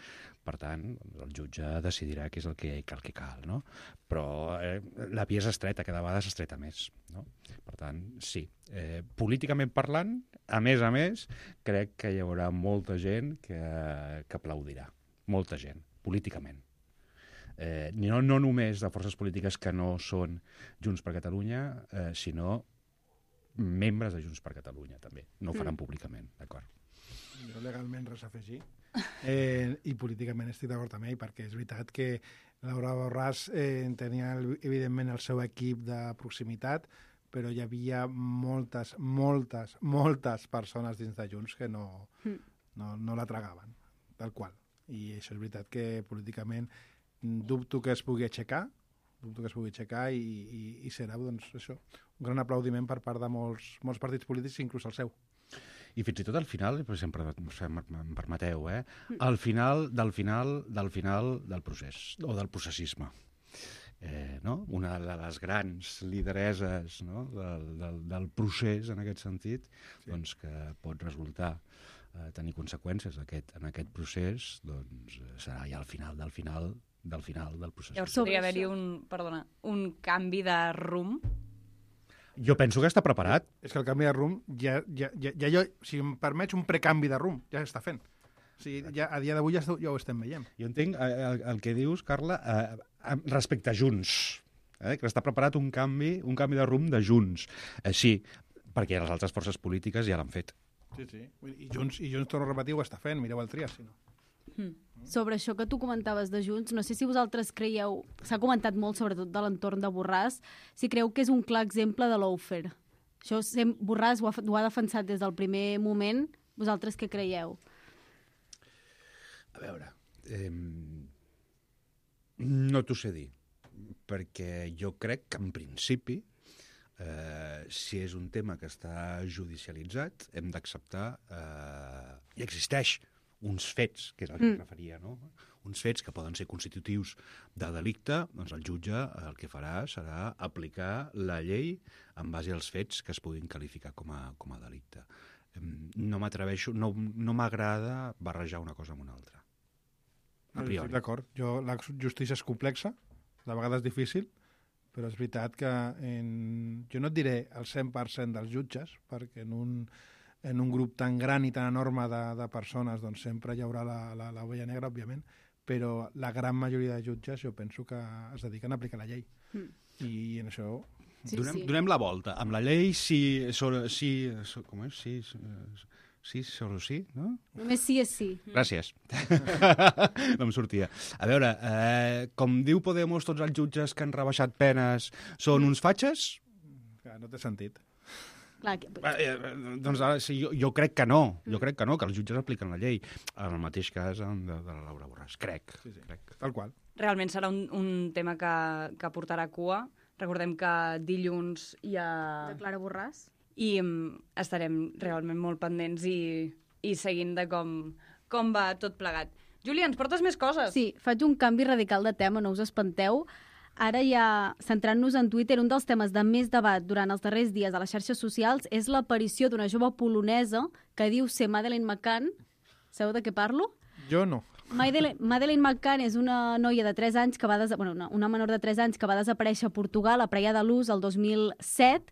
per tant, el jutge decidirà què és el que, el que cal, no? Però eh, la via és estreta, cada vegada s'estreta més, no? Per tant, sí. Eh, políticament parlant, a més a més, crec que hi haurà molta gent que, que aplaudirà. Molta gent, políticament. Eh, no, no només de forces polítiques que no són Junts per Catalunya, eh, sinó membres de Junts per Catalunya, també. No ho faran Mm. públicament, d'acord? Jo legalment res a afegir. Eh, I políticament estic d'acord amb ell, perquè és veritat que Laura Borràs eh, tenia, evidentment, el seu equip de proximitat, però hi havia moltes, moltes, moltes persones dins de Junts que no, mm. no, no la tragaven, tal qual. I això és veritat que políticament dubto que es pugui aixecar, dubto que es pugui aixecar i, i, i serà doncs, això, un gran aplaudiment per part de molts, molts partits polítics, inclús el seu. I fins i tot al final, per exemple, em permeteu, eh? al final del final del final del procés, o del processisme. Eh, no? Una de les grans lidereses, no? del, del, del procés, en aquest sentit, sí. doncs, que pot resultar eh, tenir conseqüències aquest, en aquest procés, doncs serà ja al final del final del final del procés. Llavors podria haver-hi un, perdona, un canvi de rumb? Jo penso que està preparat. És que el canvi de rumb, ja, ja, ja, ja, ja, si em permets, un precanvi de rumb, ja s'està fent. O sigui, ja, a dia d'avui ja, ja ho estem veient. Jo entenc eh, el, el que dius, Carla, eh, respecte a Junts, eh, que està preparat un canvi, un canvi de rumb de Junts. Eh, sí, perquè les altres forces polítiques ja l'han fet. Sí, sí. I Junts, i Junts, torno a repetir, ho està fent. Mireu el Trias, si no. Mm. Sobre això que tu comentaves de Junts, no sé si vosaltres creieu, s'ha comentat molt sobretot de l'entorn de Borràs, si creu que és un clar exemple de lawfare. Això sem, Borràs ho ha, ho ha defensat des del primer moment. Vosaltres què creieu? A veure, eh, no t'ho sé dir, perquè jo crec que en principi, eh, si és un tema que està judicialitzat, hem d'acceptar, eh, i existeix uns fets, que és el que mm. referia, no? Uns fets que poden ser constitutius de delicte, doncs el jutge el que farà serà aplicar la llei en base als fets que es puguin qualificar com a, com a delicte. No m'atreveixo, no, no m'agrada barrejar una cosa amb una altra. A priori. D'acord. Jo, la justícia és complexa, de vegades difícil, però és veritat que en, jo no et diré el cent per cent dels jutges, perquè en un, en un grup tan gran i tan enorme de, de persones doncs sempre hi haurà l'ovella negra, òbviament, però la gran majoria de jutges jo penso que es dediquen a aplicar la llei. Mm. I en això... Sí, donem, sí. donem la volta. Amb la llei, sí, sobre, sí, com és? Sí, sí, solo sí, no? Només sí és sí. Gràcies. No em sortia. A veure, eh, com diu Podemos, tots els jutges que han rebaixat penes són uns fatxes? Clar, no té sentit. Clar, que... eh, doncs ara, sí, jo, jo crec que no, jo crec que no, que els jutges apliquen la llei. En el mateix cas de, de la Laura Borràs, crec. Sí, sí. crec. Tal qual. Realment serà un, un tema que, que portarà cua. Recordem que dilluns hi ha... De Clara Borràs. I um, estarem realment molt pendents i, i seguint de com, com va tot plegat. Júlia, ens portes més coses? Sí, faig un canvi radical de tema, no us espanteu. Ara ja, centrant-nos en Twitter, un dels temes de més debat durant els darrers dies a les xarxes socials és l'aparició d'una jove polonesa que diu ser Madeleine McCann. Sabeu de què parlo? Jo no. Madeleine, Madeleine McCann és una noia de tres anys que va des... bueno, una, una menor de tres anys que va desaparèixer a Portugal a Praia de Luz el dos mil set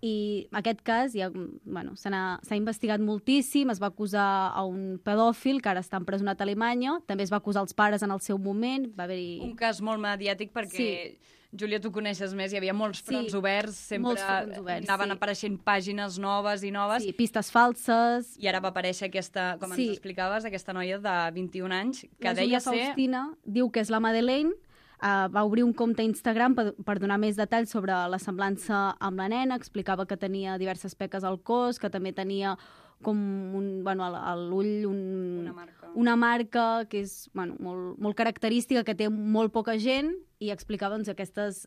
i aquest cas ja, bueno, s'ha investigat moltíssim, es va acusar a un pedòfil que ara està empresonat a Alemanya, també es va acusar els pares en el seu moment. Va haver-hi... Un cas molt mediàtic perquè, sí. Júlia, tu coneixes més, hi havia molts fronts sí, oberts, sempre fronts oberts, anaven sí. apareixent pàgines noves i noves. Sí, pistes falses. I ara va aparèixer aquesta, com sí. ens explicaves, aquesta noia de vint-i-un anys, que la deia ser... ser... Faustina diu que és la Madeleine, uh, va obrir un compte a Instagram per, per donar més detalls sobre la semblança amb la nena, explicava que tenia diverses peques al cos, que també tenia com un, bueno, a l'ull un, una, marca. una marca que és bueno, molt, molt característica, que té molt poca gent, i explicava doncs, aquestes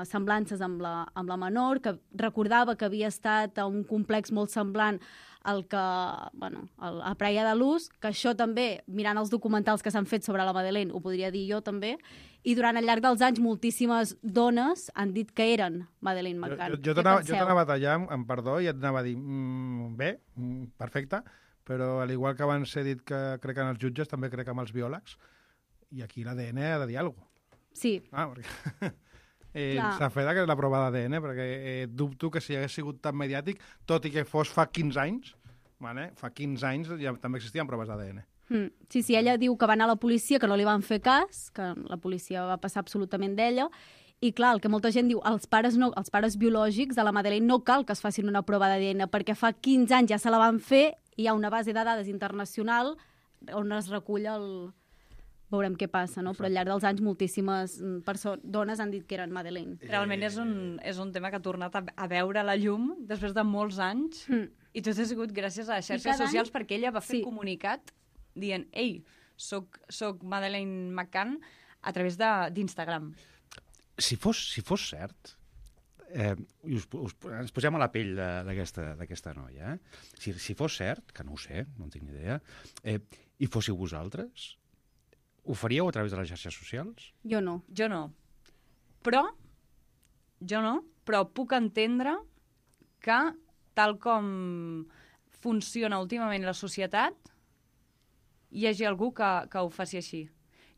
semblances amb la, amb la menor, que recordava que havia estat a un complex molt semblant al que, bueno, al, a Praia de Luz, que això també, mirant els documentals que s'han fet sobre la Madeleine, ho podria dir jo també, i durant el llarg dels anys moltíssimes dones han dit que eren Madeleine McCann. Jo, jo, jo t'anava a tallar, amb perdó, i et anava a dir, mm, bé, mm, perfecte, però al igual que abans he dit que crec en els jutges, també crec en els biòlegs, i aquí l'A D N ha de dir alguna cosa. Sí. Ah, perquè... eh, s'ha fet aquesta prova d'A D N, perquè eh, dubto que si hagués sigut tan mediàtic, tot i que fos fa quinze anys, vale? Fa quinze anys ja també existien proves d'A D N. Mm. Sí, sí, ella diu que va anar a la policia, que no li van fer cas, que la policia va passar absolutament d'ella, i clar, el que molta gent diu, els pares, no, els pares biològics de la Madeleine no cal que es facin una prova d'A D N, perquè fa quinze anys ja se la van fer i hi ha una base de dades internacional on es recull el... veurem què passa, no? Però al llarg dels anys moltíssimes persones, dones han dit que eren Madeleine. Realment és un, és un tema que ha tornat a, a veure la llum després de molts anys mm. i tot ha sigut gràcies a les xarxes socials any... perquè ella va fer sí. comunicat dient, ei, soc, soc Madeleine McCann a través d'Instagram. Si fos, si fos cert, eh, us, us, ens posem a la pell d'aquesta noia, eh? si, si fos cert, que no ho sé, no en tinc ni idea, eh, i fóssiu vosaltres, ho faríeu a través de les xarxes socials? Jo no. Jo no. Però, jo no, però puc entendre que, tal com funciona últimament la societat, hi hagi algú que, que ho faci així.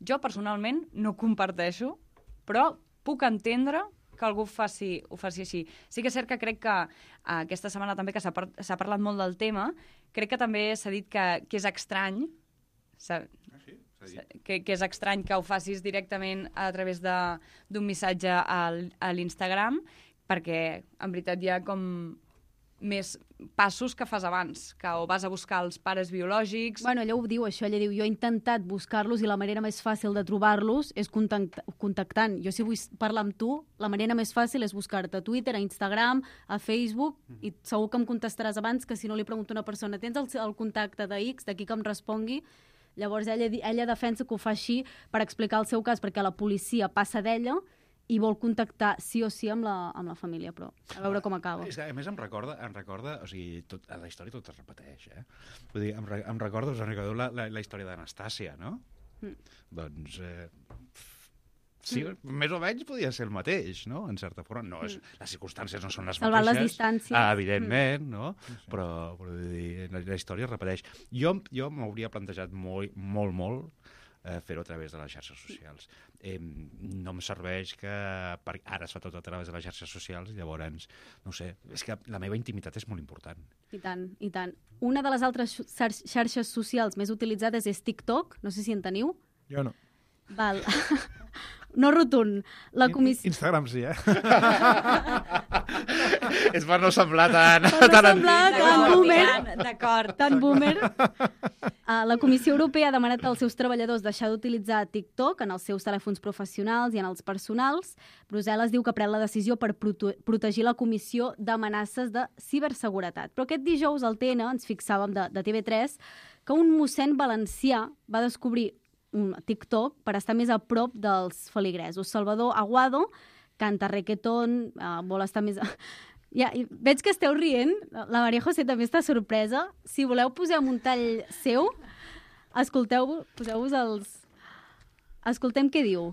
Jo, personalment, no comparteixo, però puc entendre que algú faci, ho faci així. Sí que és cert que crec que uh, aquesta setmana també que s'ha par parlat molt del tema, crec que també s'ha dit que, que és estrany, ah, sí? que, que és estrany que ho facis directament a través d'un missatge al, a l'Instagram, perquè en veritat hi ha com més passos que fas abans, que o vas a buscar els pares biològics... Bueno, ella ho diu, això, ella diu, jo he intentat buscar-los i la manera més fàcil de trobar-los és contact contactant. Jo si vull parlar amb tu, la manera més fàcil és buscar-te a Twitter, a Instagram, a Facebook, mm. i segur que em contestaràs abans que si no li pregunto a una persona, tens el, el contacte de X, d'aquí que em respongui? Llavors ella, ella defensa que ho fa així per explicar el seu cas, perquè la policia passa d'ella i vol contactar sí o sí amb la, amb la família, però a veure com acaba. És que, a més, em recorda, em recorda o sigui, tot, a la història tot es repeteix, eh? Vull dir, em, re, em recordo, us en recordeu la, la, la història d'Anastàcia, no? Mm. Doncs, eh, sí, mm. més o menys podia ser el mateix, no? En certa forma. No, és, mm. Les circumstàncies no són les Salvar mateixes. les distàncies. Ah, evidentment, mm. no? Sí, sí. Però, però dir, la, la història es repeteix. Jo, jo m'hauria plantejat molt, molt, molt eh, fer-ho a través de les xarxes socials. Eh, no em serveix que per, ara es fa tot a través de les xarxes socials, llavors, no sé, és que la meva intimitat és molt important. I tant, i tant. Una de les altres xarxes socials més utilitzades és TikTok, no sé si en teniu. Jo no. Val. No rotund. La comissió... Instagram sí, eh? És per no semblar tan... Per no semblar tan boomer. D'acord. Tan boomer. Uh, la Comissió Europea ha demanat als seus treballadors deixar d'utilitzar TikTok en els seus telèfons professionals i en els personals. Brussel·les diu que pren la decisió per prote protegir la Comissió d'Amenaces de Ciberseguretat. Però aquest dijous al T N ens fixàvem de, de T V tres que un mossèn valencià va descobrir un TikTok per estar més a prop dels feligresos. Salvador Aguado canta reggaeton, uh, vol estar més... Ja, veig que esteu rient, la Maria José també està sorpresa. Si voleu posem un tall seu, escolteu, poseu-vos els... Escoltem què diu.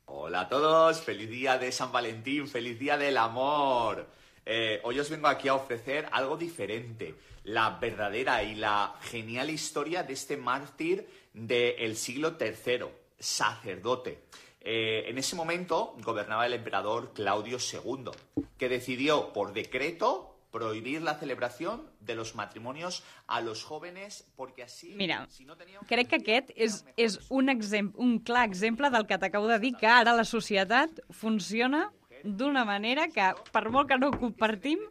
Hola a todos, feliz día de San Valentín, feliz día del amor. Eh, hoy os vengo aquí a ofrecer algo diferente, la verdadera y la genial historia de este mártir del siglo tercero, sacerdote. Eh, en ese momento gobernaba el emperador Claudio segundo, que decidió por decreto prohibir la celebración de los matrimonios a los jóvenes porque así... Mira, si no tenían... crec que aquest és, és un, exemple, un clar exemple del que t'acabo de dir, que ara la societat funciona d'una manera que, per molt que no ho compartim,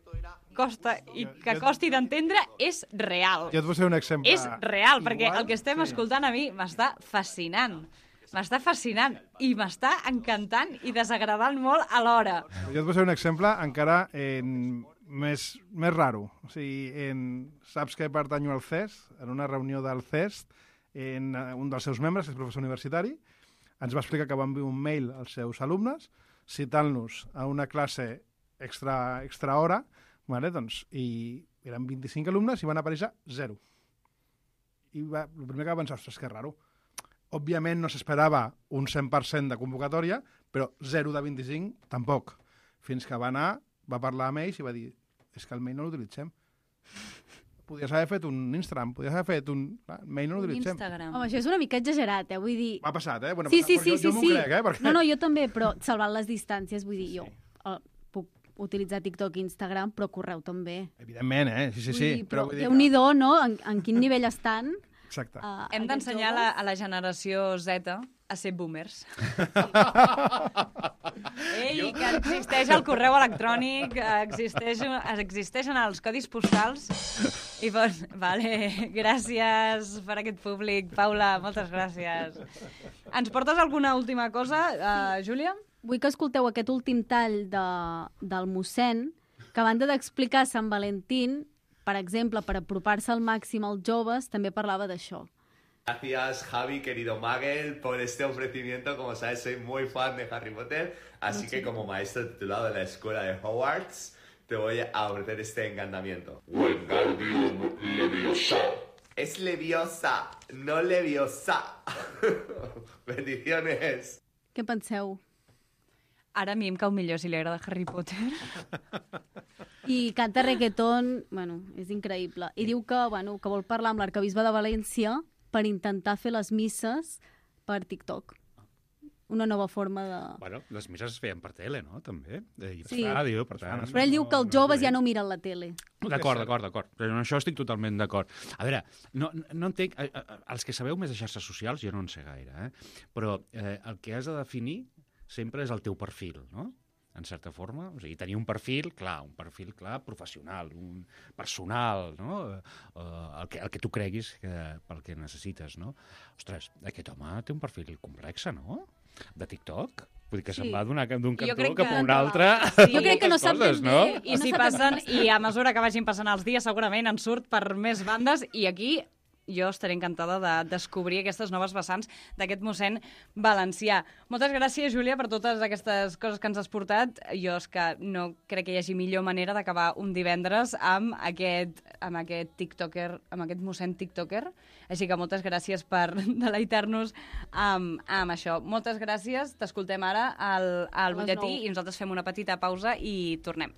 costa i que costi d'entendre, és real. Jo et posaré un exemple. És real, perquè Igual, el que estem sí. escoltant a mi m'està fascinant. M'està fascinant i m'està encantant i desagradant molt alhora. Jo et posaré un exemple encara en més, més raro. O sigui, en, saps que pertanyo al C E S? En una reunió del C E S, en un dels seus membres, que és professor universitari, ens va explicar que va enviar un mail als seus alumnes citant-los a una classe extra, extra hora, vale, doncs, i eren vint-i-cinc alumnes i van aparèixer zero. I va, el primer que va pensar, ostres, que raro. Òbviament no s'esperava un cent per cent de convocatòria, però zero de vint-i-cinc tampoc. Fins que va anar, va parlar amb ells i va dir, és que el mail no l'utilitzem. Podies haver fet un Instagram, podies haver fet un... El mail no l'utilitzem. Instagram. Home, això és una mica exagerat, eh? Vull dir... M'ha passat, eh? Bueno, sí, sí, sí, jo, jo sí, m'ho sí. crec, eh? Perquè... No, no, jo també, però salvant les distàncies, vull dir, sí. jo uh, puc utilitzar TikTok i Instagram, però correu també. Evidentment, eh? Sí, sí, sí. Dir, però però Déu-n'hi-do, no? En, en quin nivell estan? Exacte. Uh, Hem d'ensenyar a la generació Z a ser boomers. Ei, que existeix el correu electrònic, existeix, existeixen els codis postals. I doncs, vale, gràcies per aquest públic. Paula, moltes gràcies. Ens portes alguna última cosa, uh, Júlia? Vull que escolteu aquest últim tall de, del mossèn, que a banda d'explicar Sant Valentín, per exemple, per apropar-se al màxim als joves, també parlava d'això. Gracias, Javi, querido Magel, por este ofrecimiento. Como sabes, soy muy fan de Harry Potter, así Mucho. que como maestro titulado de la escuela de Hogwarts, te voy a ofrecer este encantamiento. Wingardium Leviosa. Es Leviosa, no Leviosa. Bendiciones. Què penseu? Ara a mi em cau millor si li agrada Harry Potter. I canta reggaeton, bueno, és increïble. I diu que, bueno, que vol parlar amb l'arquebisbe de València per intentar fer les misses per TikTok. Una nova forma de... Bueno, les misses es feien per tele, no? També. I per Sí. ràdio, per tant... Però ell diu que els joves ja no miren la tele. D'acord, d'acord, d'acord. Però en això estic totalment d'acord. A veure, no, no entenc... eh, eh, Els que sabeu més de xarxes socials, jo no en sé gaire, eh? Però eh, el que has de definir sempre és el teu perfil, no? En certa forma. O sigui, tenir un perfil, clar, un perfil, clar, professional, un personal, no? Uh, el, que, el que tu creguis que, pel que necessites, no? Ostres, aquest home té un perfil complex, no? De TikTok? Vull dir que sí. se'n va d'un cantó cap a un altre. Sí. Jo crec que no sap ben bé. No? I, si passen, I a mesura que vagin passant els dies, segurament en surt per més bandes, i aquí jo estaré encantada de descobrir aquestes noves vessants d'aquest mossèn valencià. Moltes gràcies, Júlia, per totes aquestes coses que ens has portat. Jo és que no crec que hi hagi millor manera d'acabar un divendres amb aquest, amb aquest tiktoker, amb aquest mossèn tiktoker. Així que moltes gràcies per deleitar-nos amb, amb això. Moltes gràcies. T'escoltem ara al, al butlletí i nosaltres fem una petita pausa i tornem.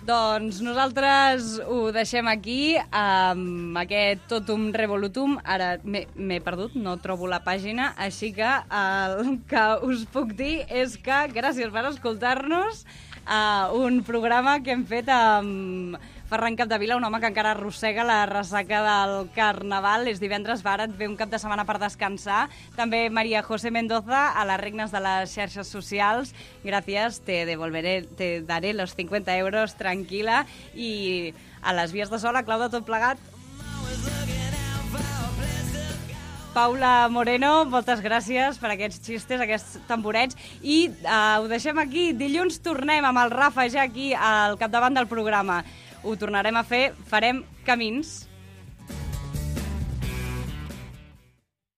Doncs nosaltres ho deixem aquí, amb aquest totum revolutum. Ara m'he perdut, no trobo la pàgina, així que el que us puc dir és que gràcies per escoltar-nos a un programa que hem fet amb Ferran Capdevila, un home que encara arrossega la ressaca del Carnaval. És divendres, va, ara et ve un cap de setmana per descansar. També María José Mendoza, a les regnes de les xarxes socials. Gràcies, te devolveré, te daré los cincuenta euros, tranquil·la. I a les vies de so, la clau de tot plegat, Paula Moreno, moltes gràcies per aquests xistes, aquests tamborets. I uh, ho deixem aquí. Dilluns tornem amb el Rafa ja aquí al capdavant del programa. Ho tornarem a fer, farem camins.